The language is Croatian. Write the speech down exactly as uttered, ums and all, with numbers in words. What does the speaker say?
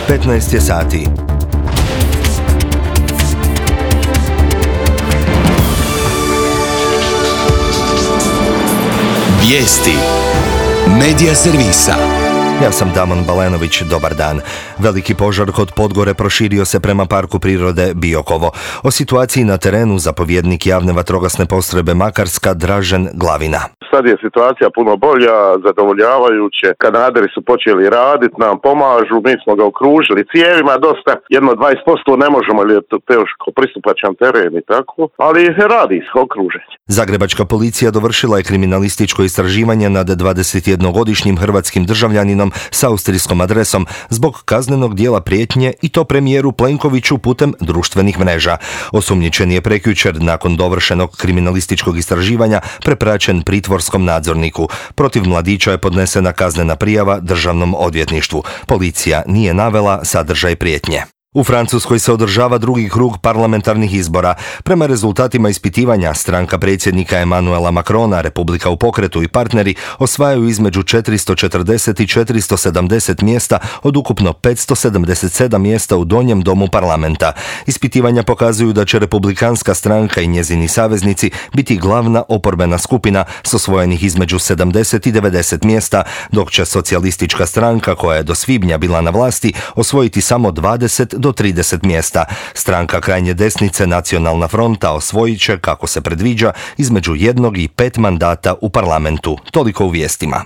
petnaest je sati. Vijesti Medija servisa. Ja sam Damon Balenović, dobar dan. Veliki požar kod Podgore proširio se prema Parku prirode Biokovo. O situaciji na terenu zapovjednik javne vatrogasne postrojbe Makarska Dražen Glavina. Sad je situacija puno bolja, zadovoljavajuće. Kanaderi su počeli raditi, nam pomažu, mi smo ga okružili cijevima dosta. Jedno dvadeset posto ne možemo, jer je to teško pristupačan teren i tako, ali radi se okruženje. Zagrebačka policija dovršila je kriminalističko istraživanje nad dvadesetjednogodišnjim hrvatskim državljaninom s austrijskom adresom zbog kaznenog dijela prijetnje i to premijeru Plenkoviću putem društvenih mreža. Osumnjičen je prekjučer nakon dovršenog kriminalističkog istraživanja prepraćen pritvorskom nadzorniku. Protiv mladića je podnesena kaznena prijava državnom odvjetništvu. Policija nije navela sadržaj prijetnje. U Francuskoj se održava drugi krug parlamentarnih izbora. Prema rezultatima ispitivanja, stranka predsjednika Emmanuela Macrona, Republika u pokretu i partneri osvajaju između četiristo četrdeset i četiristo sedamdeset mjesta od ukupno petsto sedamdeset sedam mjesta u donjem domu parlamenta. Ispitivanja pokazuju da će Republikanska stranka i njezini saveznici biti glavna oporbena skupina s osvojenih između sedamdeset i devedeset mjesta, dok će socijalistička stranka, koja je do svibnja bila na vlasti, osvojiti samo dvadeset do trideset mjesta. Stranka krajnje desnice Nacionalna fronta osvojit će, kako se predviđa, između jednog i pet mandata u parlamentu. Toliko u vijestima.